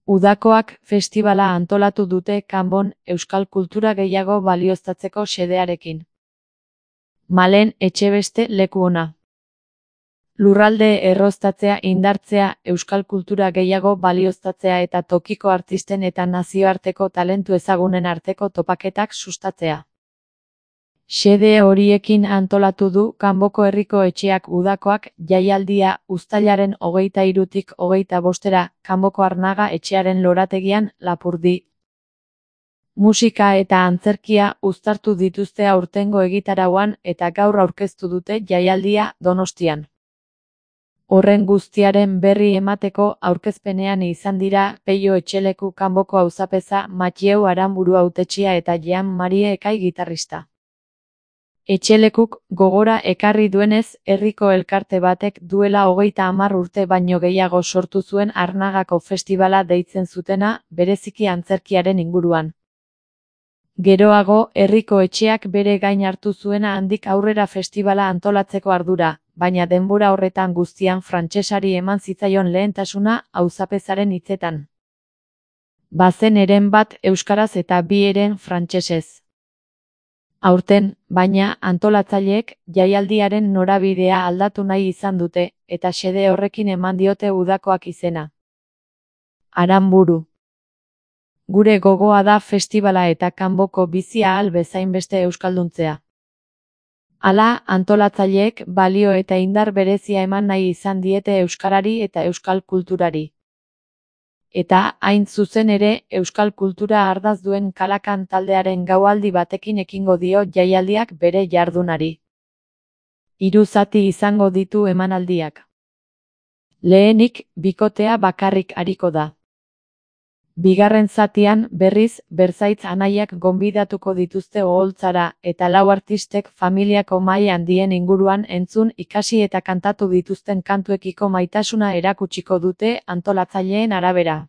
Udakoak festibala antolatu dute kanbon euskal kultura gehiago balioztatzeko xedearekin. Malen Etxebeste leku ona. Lurralde erroztatzea indartzea, euskal kultura gehiago balioztatzea eta tokiko artisten eta nazioarteko talentu ezagunen arteko topaketak sustatzea. Xede horiekin antolatu du Kanboko Herriko Etxeak Udakoak jaialdia uztailaren 23-tik 25-era Kanboko Arnaga etxearen lorategian Lapurdi. Musika eta antzerkia uztartu dituzte aurtengo egitarauan eta gaur aurkeztu dute jaialdia Donostian. Horren guztiaren berri emateko aurkezpenean izan dira Peio Etxeleku Kanboko auzapeza, Mathieu Aranburu hautetsia eta Jean Marie Ekai gitarrista. Etxelekuk gogora ekarri duenez, herriko elkarte batek duela 30 urte baino gehiago sortu zuen Arnagako festibala deitzen zutena, bereziki antzerkiaren inguruan. Geroago, herriko etxeak bere gain hartu zuena handik aurrera festibala antolatzeko ardura, baina denbora horretan guztian frantsesari eman zitzaion lehentasuna auzapezaren hitzetan. Bazen heren bat euskaraz eta bi heren frantsesez. Aurten, baina, antolatzaileek jaialdiaren norabidea aldatu nahi izan dute, eta xede horrekin eman diote Udakoak izena. Aranburu. Gure gogoa da festibala eta kanboko bizi ahal bezainbeste euskalduntzea. Hala, antolatzaileek balio eta indar berezia eman nahi izan diete euskarari eta euskal kulturari. Eta, hain zuzen ere, euskal kultura ardaz duen Kalakan taldearen gaualdi batekin ekingo dio jaialdiak bere jardunari. 3 zati izango ditu emanaldiak. Lehenik, bikotea bakarrik ariko da. Bigarren zatian, berriz, bertzaitz anaiak gonbidatuko dituzte oholtzara, eta 4 artistek familiako mahai handien inguruan entzun, ikasi eta kantatu dituzten kantuekiko maitasuna erakutsiko dute antolatzaileen arabera.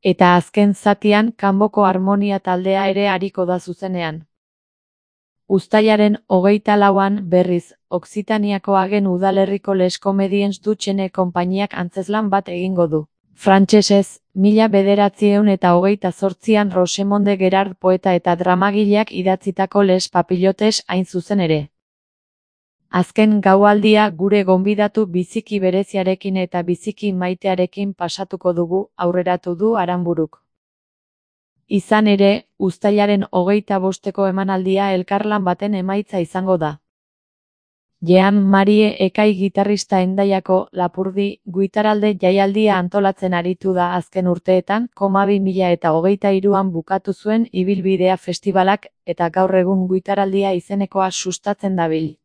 Eta azken zatian, Kanboko Harmonia taldea ere ariko da zuzenean. Uztailaren 24an, berriz, Okzitaniako Agen udalerriko Les Comediens du Chene konpainiak antzezlan bat egingo du. Frantsesez, 1928an Rosemonde Gerard poeta eta dramagileak idatzitako Les Papillotes hain zuzen ere. Azken gaualdia gure gonbidatu biziki bereziarekin eta biziki maitearekin pasatuko dugu, aurreratu du Aranburuk. Izan ere, uztailaren 25eko emanaldia elkarlan baten emaitza izango da. Jean Marie Ekai gitarrista Hendaiako Lapurdi guitaralde jaialdia antolatzen aritu da azken urteetan, 2023an bukatu zuen ibilbidea festibalak eta gaur egun guitaraldia izenekoa sustatzen dabil.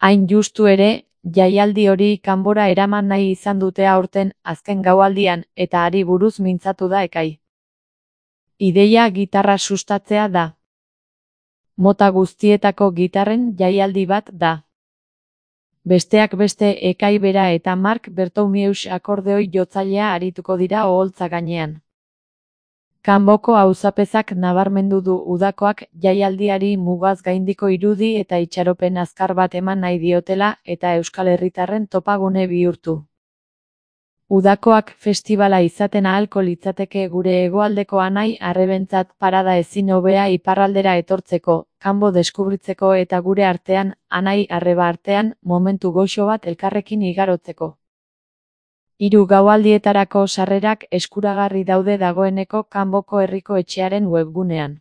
Hain justu ere, jaialdi hori kanbora eraman nahi izan dute aurten azken gaualdian eta hari buruz mintzatu da Ekai. Ideia gitarra sustatzea da. Mota guztietako gitarren jaialdi bat da. Besteak beste Ekai bera eta Mark Bertomius akordeoi jotzailea arituko dira oholtza gainean. Kanboko auzapezak nabarmendu du Udakoak jaialdiari mugaz gaindiko irudi eta itxaropen azkar bat eman nahi diotela eta Euskal Herritarren topagune bihurtu. Udakoak festibala izaten ahalko litzateke gure hegoaldeko anai arrebentzat parada ezin hobea iparraldera etortzeko, kanbo deskubritzeko eta gure artean, anai arreba artean, momentu goxo bat elkarrekin igarotzeko. 3 gaualdietarako sarrerak eskuragarri daude dagoeneko Kanboko Herriko Etxearen webgunean.